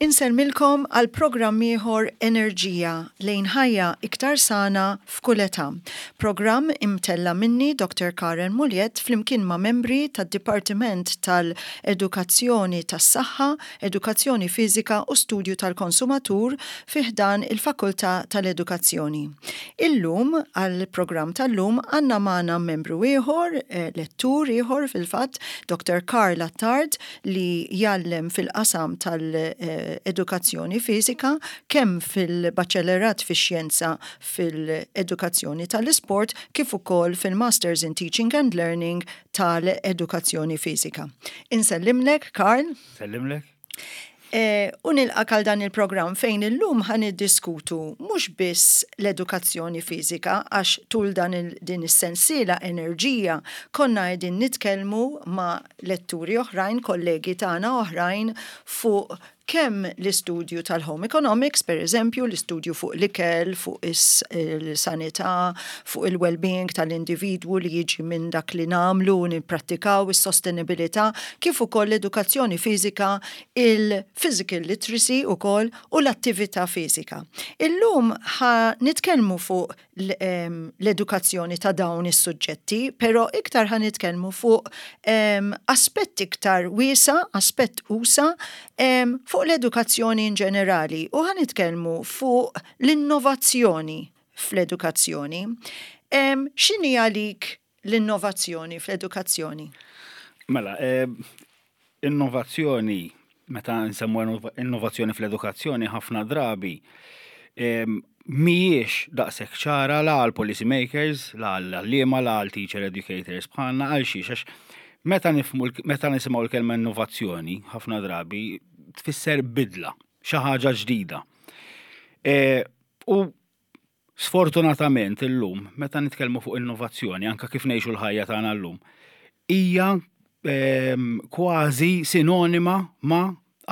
Insellmilkom għal programm ieħor Enerġija lejn ħajja iktar sana f'kull età. Programm imtella' minni Dr. Karen Muliet flimkien ma' membri tad-Dipartiment tal-Edukazzjoni tas-Saħħa, Edukazzjoni Fiżika u Studju tal-Konsumatur fi ħdan il-Fakultà tal-Edukazzjoni. Illum, għall-programm tal-lum, għandna magħna membru ieħor, lettur ieħor fil-fatt, Dr. Karl Attard, li jgħallem fil-qasam tal-edukazzjoni fiżika kemm fil-Baċellerat fix-Xjenza fil-Edukazzjoni tal-Isport kif ukoll fil-Masters in Teaching and Learning tal-Edukazzjoni Fiżika. Insellimlek, Karl. Sellimlek. E, u nilqak għal dan il-programm fejn illum ħan niddiskutu mhux biss l-edukazzjoni fiżika għax tul dan il, din is-sensiela enerġija konna qegħdin nitkellmu ma' letturi oħrajn, kollegi tagħna oħrajn fuq kemm l-istudju tal-home economics, per eżempju, l-istudju fuq l-ikel, fuq is-sanità, fuq il-well-being tal-individwu li jiġi minn dak li nagħmlu u nipprattikaw, is-sostenibilità, kif ukoll l-edukazzjoni fiżika, il-physical literacy ukoll u l-attività fiżika. Illum ħa nitkellmu fuq l-edukazzjoni ta' dawn is-suġġetti, però iktar ħa nitkellmu fuq aspett iktar wiesa, aspett usa, fuq l-edukazzjoni in ġenerali u ħa nitkellmu fuq l-innovazzjoni fl-edukazzjoni. X'inhi għalik l-innovazzjoni fl-edukazzjoni? Mela, innovazzjoni, meta nsemmu innovazzjoni fl-edukazzjoni ħafna drabi mhijiex daqshekk ċara la għal policy makers, la għal għalliema, la għal teacher educators bħalna għal xiex għax meta nifhmu meta nisimgħu l-kelma innovazzjoni ħafna drabi tfisser bidla, xi ħaġa ġdida. E, u Sfortunatament illum, meta nitkellmu fuq innovazzjoni, anke kif ngħixu l-ħajja tagħna llum, hija ehm, kważi sinonima ma'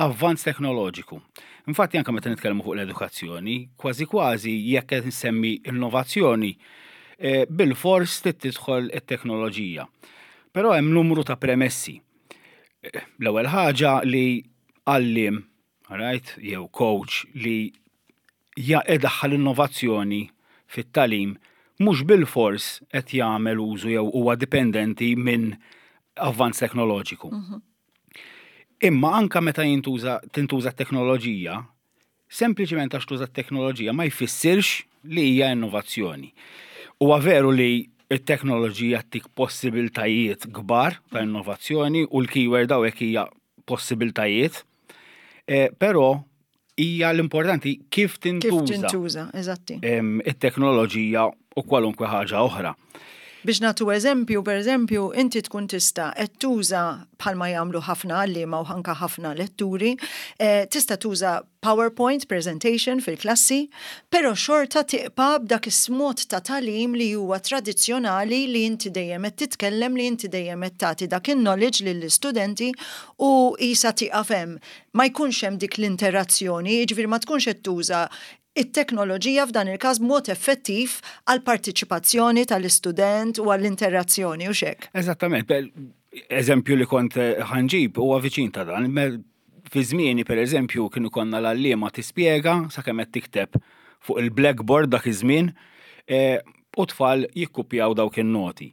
avvanz teknoloġiku. Infatti anke meta nitkellmu fuq l-edukazzjoni, kważi kważi jekk qed nsemmi innovazzjoni, eh, bil-fors trid tidħol it-teknoloġija. Però hemm numru ta' premessi. Eh, l-ewwel ħaġa li għalliem right, jew coach li idaħħal innovazzjoni fit-tagħlim mhux bilfors qed jagħmel użu jew huwa dipendenti minn avvanz teknoloġiku. Mhm. Imma anka meta jintuża tintuża t-teknoloġija, sempliċement għax tuża t-teknoloġija ma jfissirx li hija innovazzjoni. Huwa veru li t-teknoloġija tik possibiltajiet kbar ta' innovazzjoni u l-keyword hawnhekk hija possibiltajiet, eh, però hija l-importanti kif tintuża. Kif tintuża, eżatti. It-teknoloġija u kwalunkwe ħaġa oħra. Biex nagħtu eżempju, per eżempju, inti tkun tista' qed tuża bħalma jagħmlu ħafna għalliema u anka ħafna letturi, eh, tista' tuża PowerPoint presentation fil-klassi, però xorta tiqpa' b'dak is-mod ta' tagħlim li huwa tradizzjonali li inti dejjem qed titkellem, li inti dejjem qed tagħti dak in-knowledge lill-istudenti u qisha tieqaf hemm. Ma jkunx hemm dik l-interazzjoni, jiġifieri ma tkunx qed tuża it-teknoloġija f'dan il-każ b'mod effettiv għall-partiċipazzjoni tal-istudent u għall-interazzjoni, hux hekk? Eżattament. Eżempju li kont ħanġib huwa viċin ta' dan. Fi żmieni pereżempju kien ikollna l-għalliema tispjega sakemm qed tikteb fuq il-blackboard dak iż-żmien e, u tfal jikkupjaw dawk in-noti.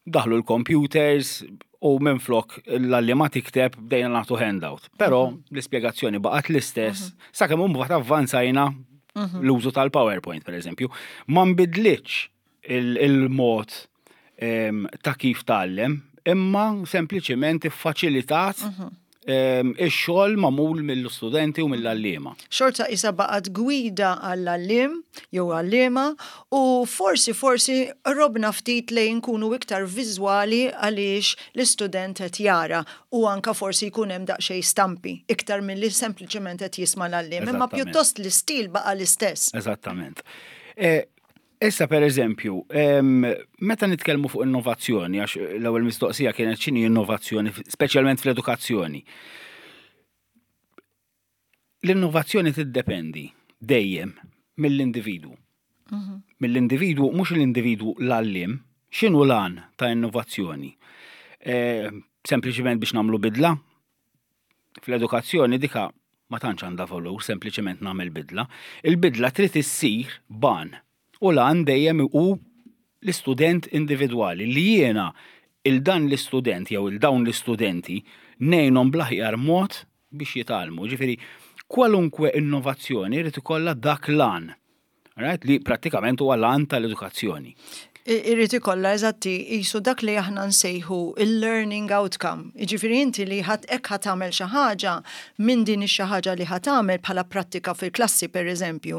Daħlu l-computers u minflok l-għalliema tikteb bdejna nagħtu handout. Però mhm. l-ispjegazzjoni baqgħet l-istess mhm. sakemm imbagħad avvanzajna mhm. l-użu tal-PowerPoint pereżempju. Ma nbidlitx il-mod ta' kif tgħallem, imma sempliċement iffaċilitat mhm. Ix-xogħol magħmul mill-istudenti u mill-għalliema. Xorta isa baqgħet gwida għall-għalliem jew għalliema u forsi forsi qrobna ftit lejn nkunu iktar viżwali għaliex l-istudent qed jara u anka forsi jkun hemm daqsxejn stampi iktar milli sempliċement qed jisma' l-għalliem. Imma pjuttost l-istil baqa' l-istess. Eżattament. Issa per eżempju, meta nitkellmu fuq innovazzjoni, għax l-ewwel mistoqsija kienet x'inhi innovazzjoni, speċjalment fl-edukazzjoni. L-innovazzjoni tiddependi dejjem mill-individwu. Mill-individwu, mhux l-individwu l-għalliem, x'inhu l-għan ta' innovazzjoni? Sempliċement biex nagħmlu bidla? Fl-edukazzjoni dika ma tantx għandha valur, sempliċement nagħmel bidla. Il-bidla trid issir b'għan. U l-għan dejjem hu l-istudent individwali li jiena il dan l-istudent jew il dawn l-istudenti ngħinhom bl-aħjar mod biex jitgħallmu. Ġifieri kwalunkwe innovazzjoni jrid ikollha dak l-għan. Right? Li prattikament huwa l-għan tal-edukazzjoni. Irrid ikollha eżatti qisu dak li aħna nsejħu il-learning outcome. Jiġifieri inti li ħadd hekk ħa tagħmel xi ħaġa minn din ix-xi ħaġa li ħa tagħmel bħala prattika fil-klassi pereżempju,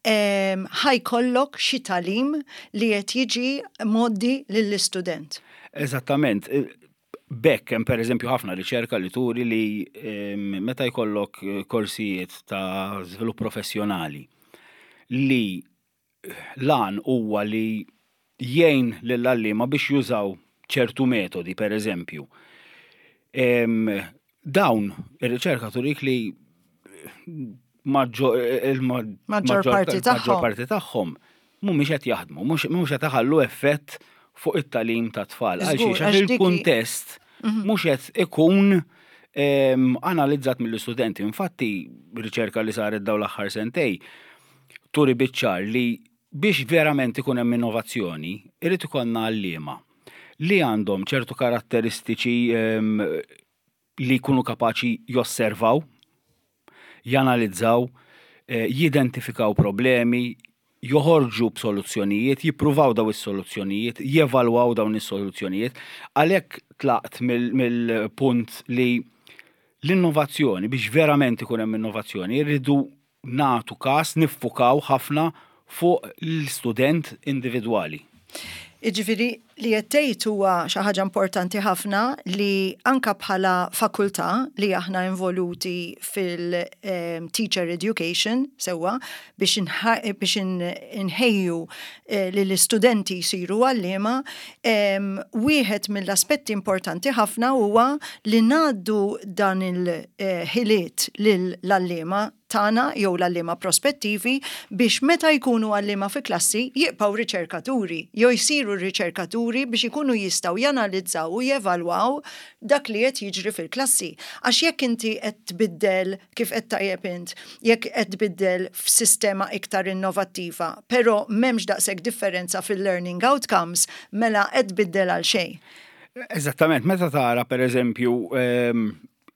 ħa jkollok xi tagħlim li qed jiġi mgħoddi lill-istudent. Eżattament. B'hekk hemm pereżempju ħafna riċerka li turi li meta jkollok korsijiet ta' żvilupp professjonali li l-għan huwa li jgħin lill-għalliema biex jużaw ċertu metodi, per eżempju. Dawn ir-riċerka turik li il-maġġor parti tagħhom mhumiex qed jaħdmu, mhux qed iħallu effett fuq it-tagħlim tat-tfal. Għaliex il-kuntest mhux qed ikun analizzat mill-istudenti. Infatti, riċerka li saret dawn l-aħħar sentej turi biċ-ċar li biex verament ikun hemm innovazzjoni, irid ikollna għalliema li għandhom ċertu karatteristiċi li jkunu kapaċi josservaw, janalizzaw, jidentifikaw problemi, joħorġu b'soluzzjonijiet, jippruvaw daw is-soluzzjonijiet, jevalwaw dawn is-soluzzjonijiet. Għalhekk tlaqt mill-punt li l-innovazzjoni, biex verament ikun hemm innovazzjoni, irridu nagħtu każ, niffukaw ħafna fuq l-istudent individwali. Jiġifieri li qed tgħid huwa xi ħaġa importanti ħafna li anka bħala fakultà li aħna involuti fil-teacher education sewwa biex biex inħejju li l-istudenti jsiru għalliema, wieħed mill-aspetti importanti ħafna huwa li ngħaddu dan il-ħiliet lill-għalliema tagħna jew l-għalliema prospettivi biex meta jkunu għalliema fi klassi jibqgħu riċerkaturi jew jsiru riċerkaturi biex ikunu jistgħu janalizzaw u jevalwaw dak li qed jiġri fil-klassi. Għax jekk inti qed tbiddel kif qed tajjeb int, jekk qed tbiddel f'sistema iktar innovattiva, però m'hemmx daqshekk differenza fil-learning outcomes, mela qed tbiddel għal xejn. Eżattament, meta tara per eżempju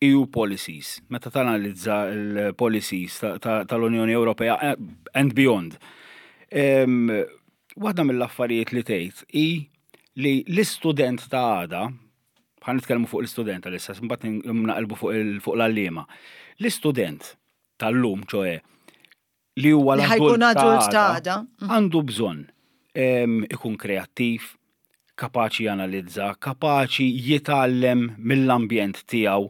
EU policies, meta tanalizza l-policies tal-Unjoni Ewropea and beyond. Waħda mill-affarijiet li tgħid hi li l-istudent ta' għada, ħa nitkellmu fuq l-istudent għalissa, mbagħad naqilbu fuq l-għalliema. L-istudent tal-lum, ċoe, li huwa l-adult ta' għada, għandu bżonn ikun kreattiv, kapaċi janalizza, kapaċi jitgħallem mill-ambjent tiegħu.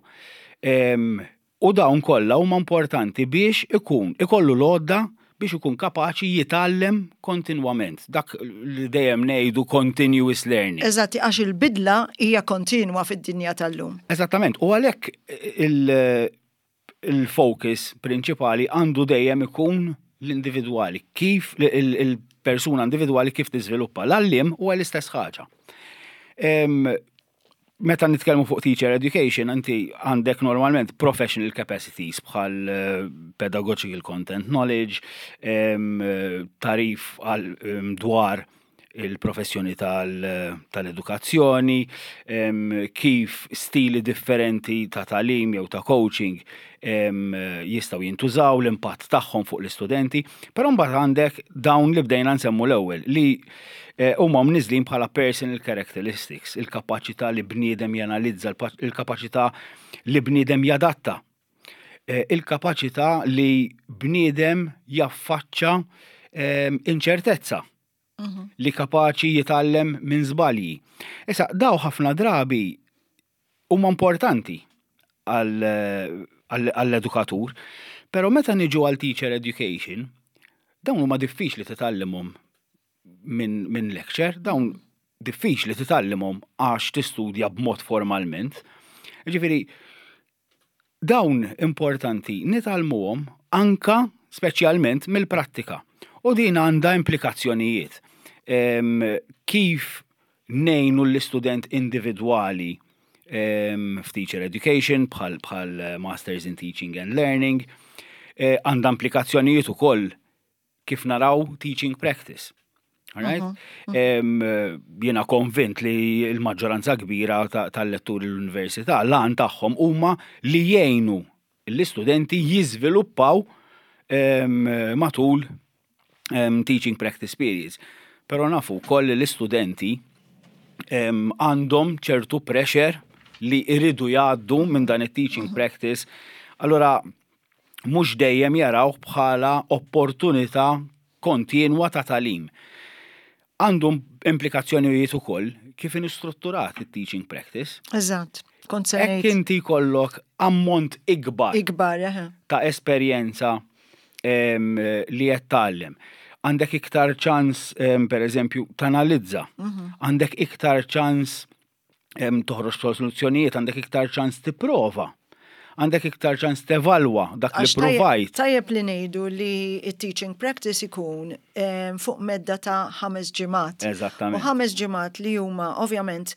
U dawn kollha huma importanti biex ikun ikollu l-għodda biex ikun kapaċi jitgħallem kontinwament. Dak li dejjem ngħidu continuous learning. Eżatti, għax il-bidla hija kontinwa fid-dinja tal-lum. Eżattament, u għalhekk il-focus prinċipali għandu dejjem ikun l-individwali, kif il-persuna individwali kif tiżviluppa. L-għalliem huwa l-istess ħaġa. Meta nitkellmu fuq teacher education, inti għandek normalment professional capacities bħal pedagogical content knowledge, tagħrif dwar il-professjoni tal-edukazzjoni, kif stili differenti ta' tagħlim jew ta' coaching jistgħu jintużaw, l-impatt tagħhom fuq l-istudenti. Però mbagħad għandek dawn li bdejna nsemmu l-ewwel li eh, huma mniżlin bħala personal characteristics, il-kapaċità li bniedem janalizza, il-kapaċità li bniedem jadatta eh, il-kapaċità li bniedem jaffaċċa eh, inċertezza mhm. li kapaċi jitgħallem minn żbalji. Issa daw ħafna drabi huma importanti għall-edukatur, però meta niġu għal teacher education, dawn huma diffiċli titgħallimhom minn min lecture, dawn diffiċli titgħallimhom għax tistudja b'mod formalment. Ġifieri, Dawn importanti nitgħallmuhom anka speċjalment mill-prattika. U din għandha implikazzjonijiet. Kif ngħinu l-istudent individwali f'teacher education bħal bħal Masters in Teaching and Learning, eh, għandha implikazzjonijiet ukoll kif naraw teaching practice. Alright? Uh -huh. Jiena konvint li l-maġġoranza kbira tal-letturi l-università l-għan tagħhom huma li jgħinu l-istudenti jiżviluppaw matul teaching practice periods. Però nafu wkoll li l-istudenti għandhom ċertu pressure li jridu jgħaddu minn dan it-teaching practice. Allora mhux dejjem jarawh bħala opportunità kontinwa ta' tagħlim. Għandu implikazzjonijiet ukoll kif inhu strutturat it-teaching practice. Eżatt, kont se Hekk inti jkollok ammont ikbar Ikbar, eħe. ta' esperjenza li qed tgħallem. Għandek iktar ċans, per eżempju, tanalizza. Mhm. Għandek iktar ċans toħroġ soluzzjonijiet, għandek iktar ċans tipprova. Għandek iktar ċans tevalwa dak li provajt. Tajjeb li ngħidu li t-teaching practice ikun fuq medda ta' ħames ġimgħat. Eżattament. U ħames ġimgħat li huma ovvjament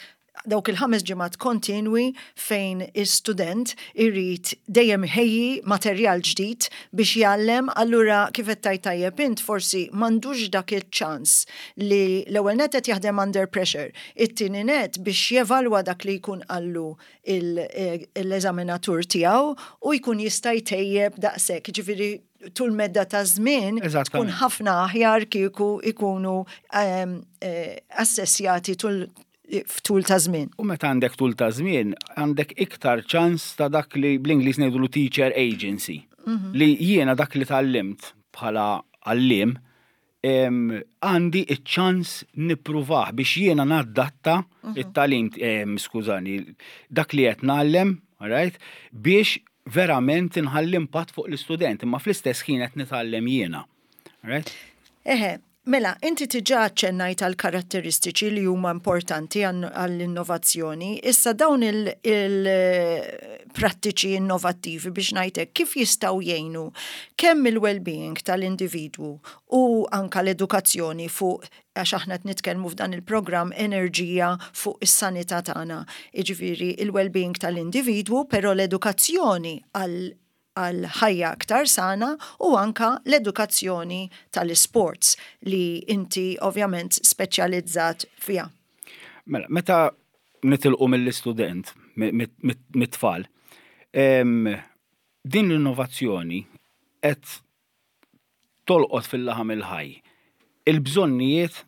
dawk il-ħames ġimgħat kontinwi fejn is-student irid dejjem iħejji materjal ġdid biex jgħallem, allura kif qed tgħid tajjeb int forsi m'għandux dak iċ-ċans li l-ewwel nett qed jaħdem under pressure, It-tieni nett biex jevalwa dak li jkun qallu l-eżaminatur tiegħu u jkun jista' jtejjeb daqshekk. Jiġifieri tul medda ta' żmien tkun ħafna aħjar kieku jkunu ehm, eh, assessjati tul f'tul ta' żmien. U meta għandek tul ta' żmien, għandek iktar ċans ta' dak li bl-Ingliż ngħidulu teacher agency. Mhm. Li jiena dak li tgħallimt bħala għalliem għandi iċ-ċans nippruvah biex jiena naddatta mhm. it-tagħlim, skużani, dak li qed ngħallem, right, biex verament inħalli impatt fuq l-istudent, imma fl-istess ħin qed nitgħallem jiena. Right? Eħe, mela, inti tiġa ċennajt għal karatteristiċi li huma importanti għall-innovazzjoni. Issa dawn il-prattiċi innovattivi biex ngħidlek kif jistgħu jgħinu kemm il-well-being tal-individwu u anka l-edukazzjoni fuq għax aħna qed nitkellmu f'dan il-programm enerġija fuq is-sanità tagħna. Jiġifieri il-well-being tal-individwu, però l-edukazzjoni għal għal ħajja aktar sana u anka l-edukazzjoni tal-isports li inti ovvjament speċjalizzat fiha. Mela, meta nitilqu mill-istudent, mit-tfal, din l-innovazzjoni qed tolqot fil-laħam il-ħaj il-bżonnijiet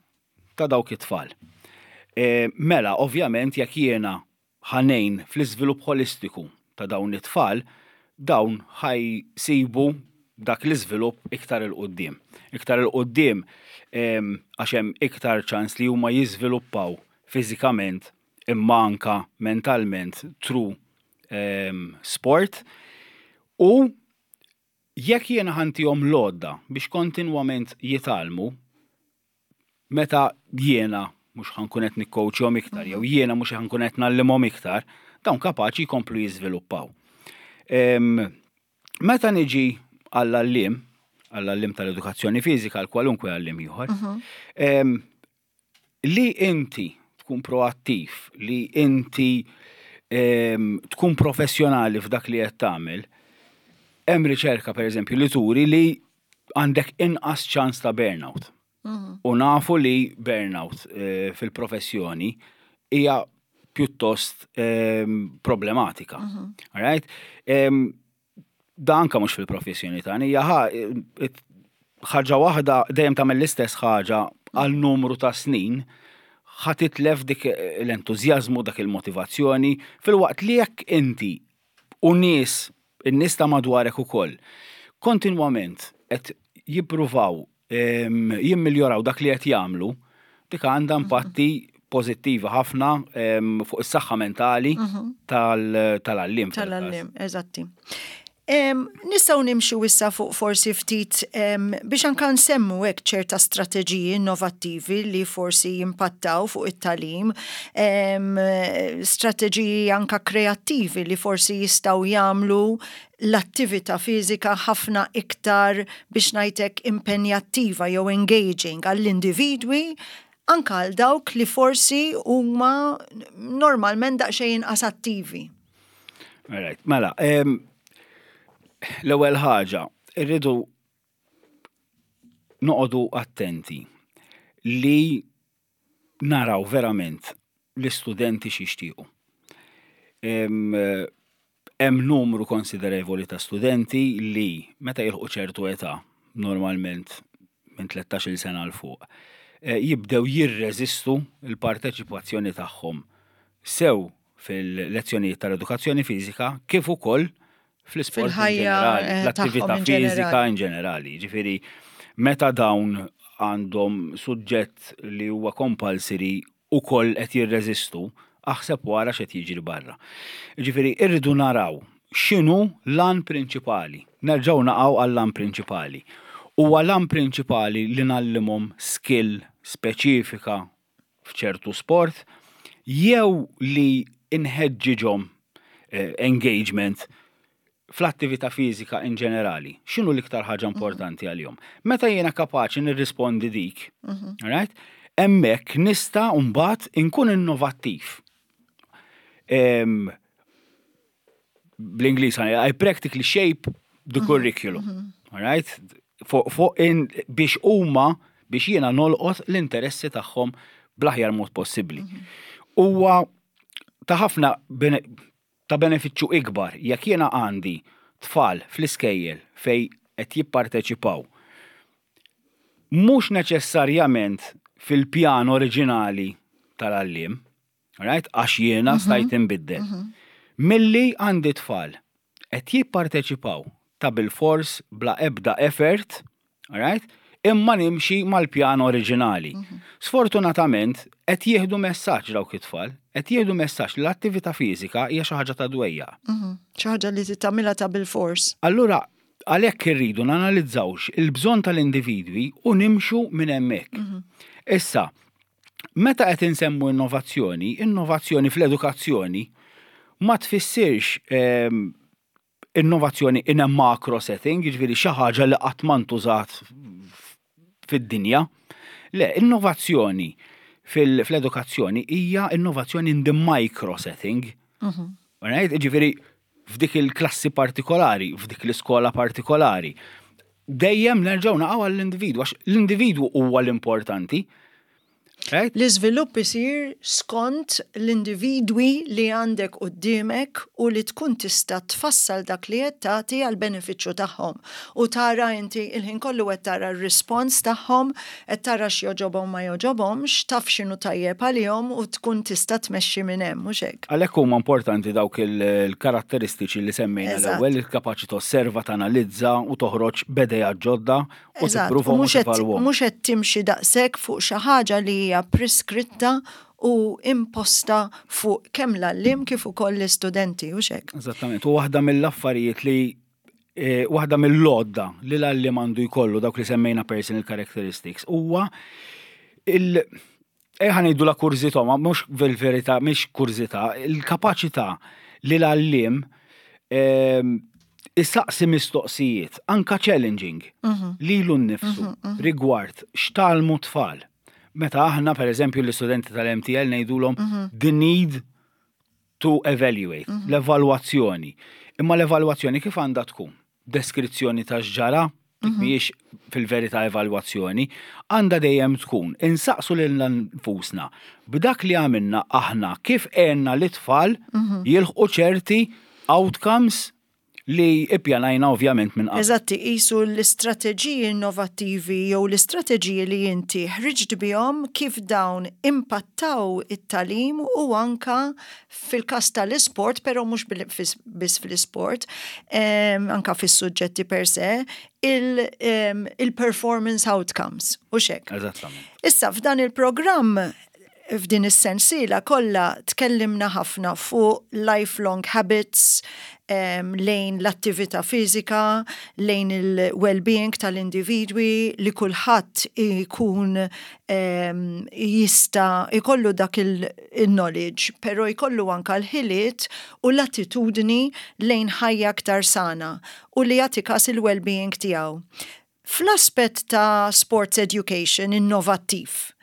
ta' dawk it-tfal. E, mela, ovvjament, jekk jiena ħa ngħin fl-iżvilupp ħolistiku ta' dawn it-tfal, dawn ħa jsibu dak l-iżvilupp iktar 'il quddiem. Iktar 'il quddiem għax hemm iktar ċans li huma jiżviluppaw fiżikament imma anka mentalment through sport u jekk jiena ħa ntihom l-għodda biex kontinwament jitgħallmu, meta jiena mhux ħa nkun qed nikkowċjhom iktar jew jiena mhux ħa nkun qed ngħallimhom iktar, dawn kapaċi jkomplu jiżviluppaw. Meta niġi għall-għalliem, għall-għalliem tal-edukazzjoni fiżika, għal kwalunkwe għalliem ieħor, mhm. li inti tkun proattiv, li inti tkun professjonali f'dak li qed tagħmel, hemm riċerka pereżempju li turi li għandek inqas ċans ta' burnout mhm. U nafu li burnout fil-professjoni hija pjuttost problematika. All right? Da anka mhux fil-professjoni tagħna, hija ħaġa waħda dejjem tagħmel l-istess ħaġa għal numru ta' snin ħa titlef dik l-entużjażmu, dak il-motivazzjoni, filwaqt li jekk inti u nies, in-nies ta' madwarek ukoll, kontinwament qed jippruvaw jimmiljoraw dak li qed jagħmlu, dik għandha impatti pożittivi ħafna fuq is-saħħa mentali tal-għalliem. Tal-għalliem, eżatti. Nistgħu nimxu issa fuq forsi ftit biex anka nsemmu hekk ċerta strateġiji innovattivi li forsi jimpattaw fuq it-tagħlim, strateġiji anka kreattivi li forsi jistgħu jagħmlu l-attività fiżika ħafna iktar biex ngħid hekk impenjattiva jew engaging għall-individwi anka għal dawk li forsi huma normalment daqsxejn inqas attivi. Alright, mela, l-ewwel ħaġa, irridu noqogħdu attenti li naraw verament l-istudenti x'jixtiequ. Hemm numru konsiderevoli ta' studenti li meta jilħqu ċertu età, normalment minn 13-il sena 'l fuq, eh, jibdew jirreżistu l-parteċipazzjoni tagħhom sew fil-lezzjonijiet tal-edukazzjoni fiżika kif ukoll fl-isport in ġenerali, eh, fl-attività fiżika in ġenerali. Ġifieri meta dawn għandhom suġġett li huwa compulsory ukoll qed jirreżistu, aħseb wara x'qed jiġri barra. Ġifieri irridu naraw x'inhu l-għan prinċipali. Nerġgħu naqgħu għall-għan prinċipali. Huwa l-għan prinċipali li ngħallimhom skill speċifika f'ċertu sport jew li nħeġġiġhom eh, engagement fl-attività fiżika in ġenerali, x'inhu l-iktar ħaġa mhm. importanti għalihom? Meta jiena kapaċi nirrispondi dik, mhm. right? Hemmhekk nista' mbagħad inkun innovattiv. Bl-Ingliż I practically shape the mhm. curriculum. Mhm. All right? Fuq biex huma biex jiena nolqot l-interessi tagħhom bl-aħjar mod possibbli. Mhm. Huwa ta' ħafna ta' benefiċċju ikbar jekk jiena għandi tfal fl-iskejjel fej qed jipparteċipaw mhux neċessarjament fil-pjan oriġinali tal-għalliem, Right? Għax jiena mhm. stajt inbiddel. Mhm. Milli għandi tfal qed jipparteċipaw ta' bil-fors bla ebda effort, right? Imma nimxi mal-pjan oriġinali. Mhm. Sfortunatament qed jieħdu messaġġ dawk it-tfal, qed jieħdu messaġġ li l-attività fiżika hija xi ħaġa ta' dwejja. Xi ħaġa li tagħmilha ta' bil-fors. Allura għalhekk irridu nanalizzawx il-bżonn tal-individwi u nimxu minn hemmhekk. Issa, Meta qed insemmu innovazzjoni, innovazzjoni fl-edukazzjoni ma tfissirx ehm, innovazzjoni in a macro setting, jiġifieri xi ħaġa li qatt ma ntużat fid-dinja. Le, innovazzjoni fl-edukazzjoni hija innovazzjoni in the micro setting. Mhm. Right? Ġifieri f'dik il-klassi partikolari, f'dik l-iskola partikolari. Dejjem nerġgħu naqgħu għall-individwu, għax l-individwu huwa l-importanti. L-iżvilupp isir skont l-individwi li għandek quddiemek u li tkun tista' tfassal dak li qed tagħti għall-benefiċċju tagħhom. U tara inti il-ħin kollu qed tara r-rispons tagħhom, qed tara x'jogħġobhom ma jogħġobhomx, taf x'inhu tajjeb għalihom u tkun tista' tmexxi minn hemm, mhux hekk? Għalhekk huma importanti dawk il-karatteristiċi li semmejna l-ewwel, il-kapaċi tosserva, tanalizza u toħroġ b'idejat ġodda u tippruvahom u tevalwahom. Mhux qed timxi daqshekk fuq xi ħaġa li hija preskritta u imposta fuq kemm l-għalliem kif ukoll l-istudenti, hux hekk? Eżattament, u waħda mill-affarijiet li eh, waħda mill-għodda li l-għalliem għandu jkollu dawk li semmejna personal characteristics huwa il Ejja ngħidu la kurżità, ma mhux fil-verità mhix kurżità, il-kapaċità li l-għalliem ehm, isaqsi mistoqsijiet, anka challenging, mhm. lilu nnifsu mhm, mhm. rigward x'talmu tfal. Meta aħna, per eżempju, l-istudenti tal-MTL ngħidulhom the need to evaluate, l-evalwazzjoni. Imma l-evalwazzjoni kif għandha tkun? Deskrizzjoni ta' x'ġara? Dik mhijiex fil-verità evalwazzjoni, għandha dejjem tkun insaqsu lilna nfusna b'dak li għamilna aħna kif għenna lit-tfal jilħqu ċerti outcomes li ippjanajna ovvjament minn qabel. Eżatt, iqisu l-istrateġiji innovattivi jew l-istrateġiji li inti ħriġt bihom kif dawn impattaw it-tagħlim u anka fil-każ tal-isport, però mhux biss fl-isport, anka fis-suġġetti per se, il-performance outcomes, u xek. Eżattament. Issa, f'dan il-programm, f'din is-sensiela kollha tkellimna ħafna fuq lifelong habits, lejn l-attività fiżika, lejn il-well-being tal-individwi, li kulħadd ikun jista' jkollu dak il-knowledge, però jkollu anka l-ħiliet u l-attitudni lejn ħajja aktar sana u li jagħti kas il-well-being tiegħu. Fl-aspett ta' sports education innovattiv,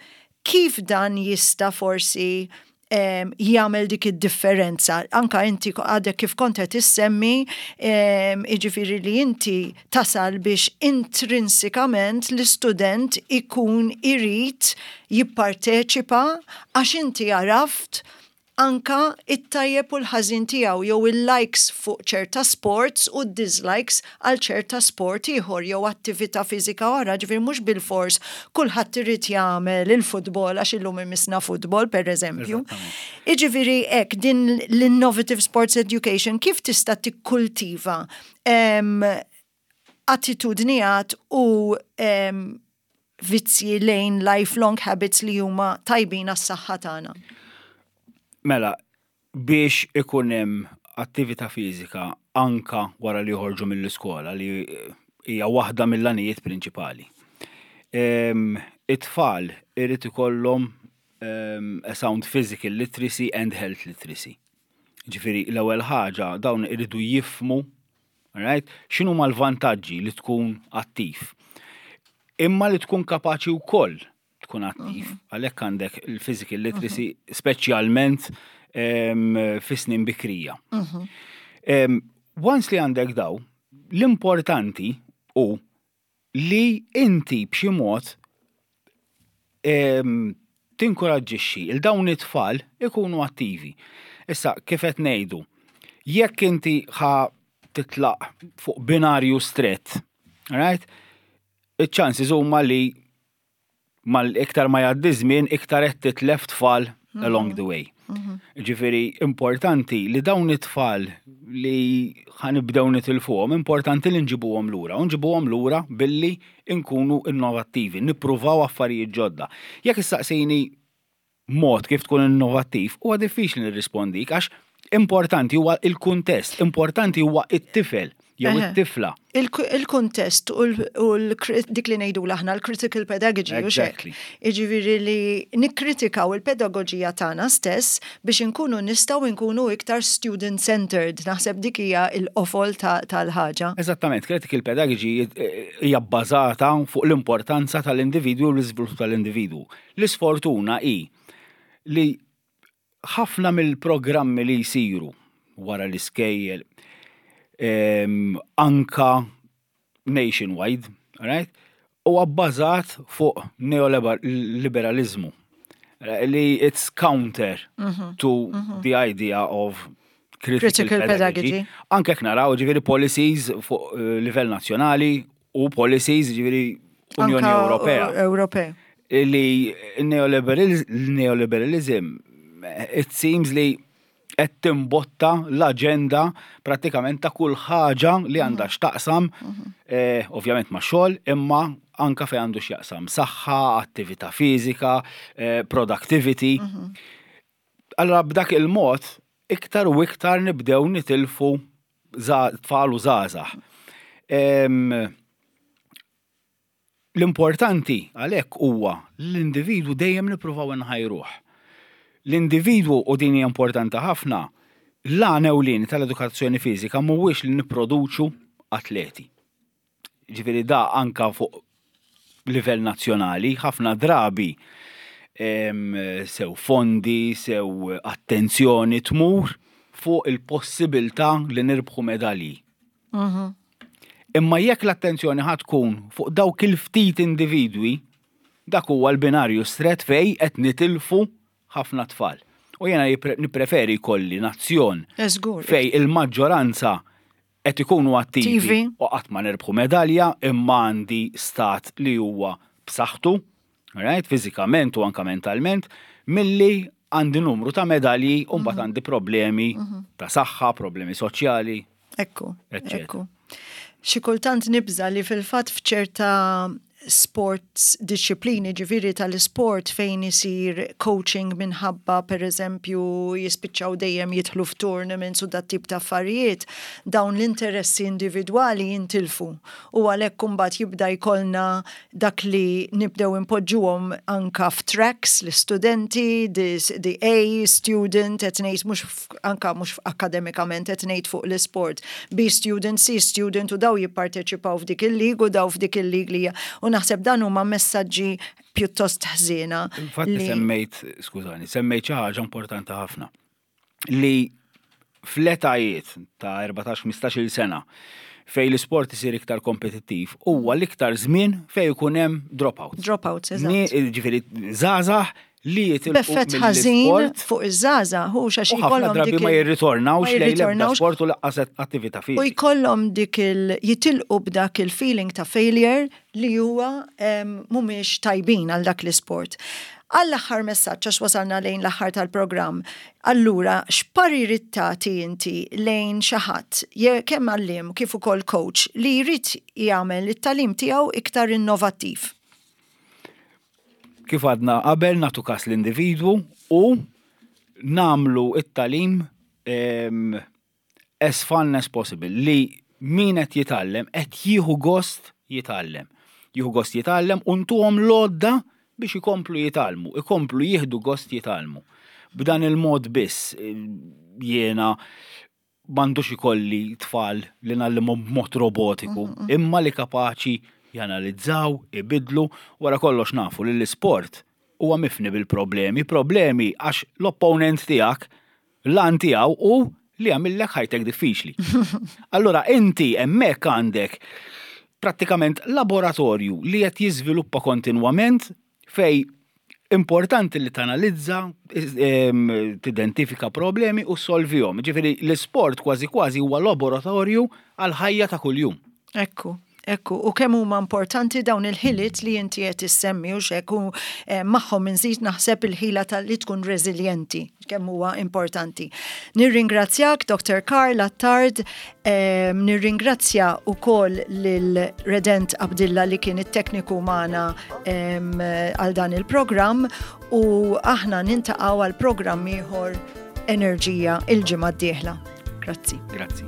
kif dan jista' forsi jagħmel dik id-differenza? Anka inti għadek kif kont qed issemmi, jiġifieri li inti tasal biex intrinsikament l-istudent ikun irid jipparteċipa għax inti għaraft anka it-tajjeb u l-ħażin tiegħu jew il-likes fuq ċerta sports u d-dislikes għal ċerta sport ieħor jew attività fiżika oħra, ġifieri mhux bilfors kulħadd irid jagħmel il-futbol għax illum imissna futbol pereżempju. Jiġifieri hekk din l-innovative sports education kif tista' tikkultiva attitudnijat u vizzji lejn lifelong habits li huma tajbin għas-saħħa tagħna? Mela, biex ikun hemm attività fiżika anka wara li joħorġu mill-iskola li hija waħda mill-għanijiet prinċipali. It-tfal irid ikollhom a sound physical literacy and health literacy. Ġifieri l-ewwel ħaġa dawn iridu jifhmu Right? X'inhuma l-vantaġġi li tkun attiv? Imma li tkun kapaċi wkoll tkun attiv. Mhm. Għalhekk għandek il-physical literacy mhm. speċjalment fi snin bikrija. Mhm. Once li għandek daw, l-importanti u li inti b'xi mod tinkoraġġixxi il dawn it-tfal ikunu attivi. Issa, kif qed ngħidu, jekk inti ħa titlaq fuq binarju strett, right? Iċ-chances huma li mal iktar ma jgħaddi żmien iktar qed titlef tfal mhm. along the way. Mhm. Ġifieri importanti li dawn it-tfal li ħanibdew nitilfuhom, importanti li nġibuhom lura. U nġibuhom lura billi nkunu innovattivi, nippruvaw affarijiet ġodda. Jekk issaqsini mod kif tkun innovattiv, huwa diffiċli nirrispondik għax importanti huwa il-kuntest, importanti huwa it-tifel jew it-tifla. Il-kuntest u dik li ngħidu aħna l-critical pedagogy. Exactly. Jiġifieri li nikkritikaw il-pedagogija tagħna stess biex inkunu nistgħu nkunu iktar student-centered. Naħseb dik hija l-qofol tal-ħaġa. Eżattament, critical pedagogy hija bbażata fuq l-importanza tal-individwu u l-iżvilupp tal-individwu. L-isfortuna hi li ħafna mill-programmi li jsiru wara l-iskejjel anka nationwide, right? Huwa bbażat fuq neoliberalizmu li it's counter mhm. to mhm. the idea of critical, critical pedagogy. pedagogy. Anke naraw ġifieri policies fuq eh, livell nazzjonali u policies ġifieri Unjoni Ewropea. Ewropea. Li neoliberalism it seems li qed timbotta l-aġenda prattikament ta' kull ħaġa li għandha mhm. x'taqsam, mhm. eh, ovvjament ma' xogħol, imma anka fejn għandu x'jaqsam saħħa, attività fiżika, eh, productivity. Mhm. Allora b'dak il-mod iktar u iktar nibdew nitilfu tfal u żgħażagħ. L-importanti għalhekk huwa l-individwu dejjem nippruvaw inħajruh. L-individwu, u din hija importanti ħafna, l-għan ewlieni tal-edukazzjoni fiżika mhuwiex li nipproduċu atleti. Ġifieri da anka fuq livell nazzjonali, ħafna drabi sew fondi, sew attenzjoni tmur fuq il-possibilità li nirbħu medalji. Mhm. Imma jekk l-attenzjoni ħa tkun fuq dawk il-ftit individwi, dak huwa l-binarju strett fejn qed nitilfu ħafna tfal. U jiena nippreferi jkolli nazzjon fejn il-maġġoranza qed ikunu attivi u qatt ma nirbħu medalja imma għandi stat li huwa b'saħħtu, right, fiżikament u anka mentalment, milli għandi numru ta' medalji u mbagħad għandi problemi ta' saħħa, problemi soċjali. Ekku, ekku. Xi kultant nibża li fil-fatt f'ċerta sports disċiplini ġifieri tal-isport fejn isir coaching minħabba per eżempju jispiċċaw dejjem jidħlu f'tournaments u dat tip ta' affarijiet, dawn l-interessi individwali jintilfu u għalhekk imbagħad jibda jkollna dak li nibdew inpoġġuhom anka f'tracks l-istudenti, the A student, qed ngħid mhux anka mhux akademikament qed ngħid fuq l-isport, B student, C student u daw jipparteċipaw f'dik il-league u daw f'dik il-league li u naħseb dan huma messaġġi pjuttost ħżiena. Infatti semmejt, skużani, semmejt xi ħaġa importanti ħafna li fl-etajiet ta' 14-15 sena fejn l-isport isir iktar kompetittiv huwa l-iktar żmien fejn ikun hemm dropouts. Dropouts, eżatt. Ġifieri żgħażagħ li jitilqu B'effett ħażin fuq iż-żgħażagħ hu xax jkollhom drabi ma jirritornawx lejn l-ebda sport u laqqas attività fiżika. U jkollhom dik il jitilqu b'dak il-feeling ta' failure li huwa mhumiex tajbin għal dak l-isport. Għall-aħħar messaġġ għax wasalna lejn l-aħħar tal-programm, allura x'parir tagħti inti lejn xi ħadd, kemm għalliem kif ukoll coach li jrid jagħmel it-tagħlim tiegħu iktar innovattiv? Kif għadna qabel nagħtu kas l-individwu u nagħmlu it-tagħlim as fun as possible li min qed jitgħallem qed jieħu gost jitgħallem. Jieħu gost jitgħallem u ntuhom l-għodda biex ikomplu jitgħallmu, ikomplu jieħdu gost jitgħallmu. B'dan il-mod biss jiena m'għandux ikolli tfal li ngħallimhom b'mod robotiku, imma li kapaċi janalizzaw, ibidlu, wara kollox nafu li l-isport huwa mifni bil-problemi, problemi għax l-opponent tiegħek l-għan tiegħu hu li jagħmillek ħajtek diffiċli. Allura inti hemmhekk għandek prattikament laboratorju li qed jiżviluppa kontinwament fej importanti li tanalizza, tidentifika problemi u solvihom. Ġifieri l-isport kważi kważi huwa laboratorju għal ħajja ta' kuljum. Ekku. Ekku, u kemm huma importanti dawn il-ħiliet li inti qed issemmi u xek u eh, magħhom inżid naħseb il-ħila tal li tkun reżiljenti kemm huwa importanti. Nirringrazzjak Dr. Karl Attard, Nirringrazzja wkoll lil Redent Abdilla li kien it-tekniku magħna għal dan il-programm u aħna nintaqgħu għal programm ieħor Enerġija il-ġimgħa d-dieħla. Grazzi. Grazzi.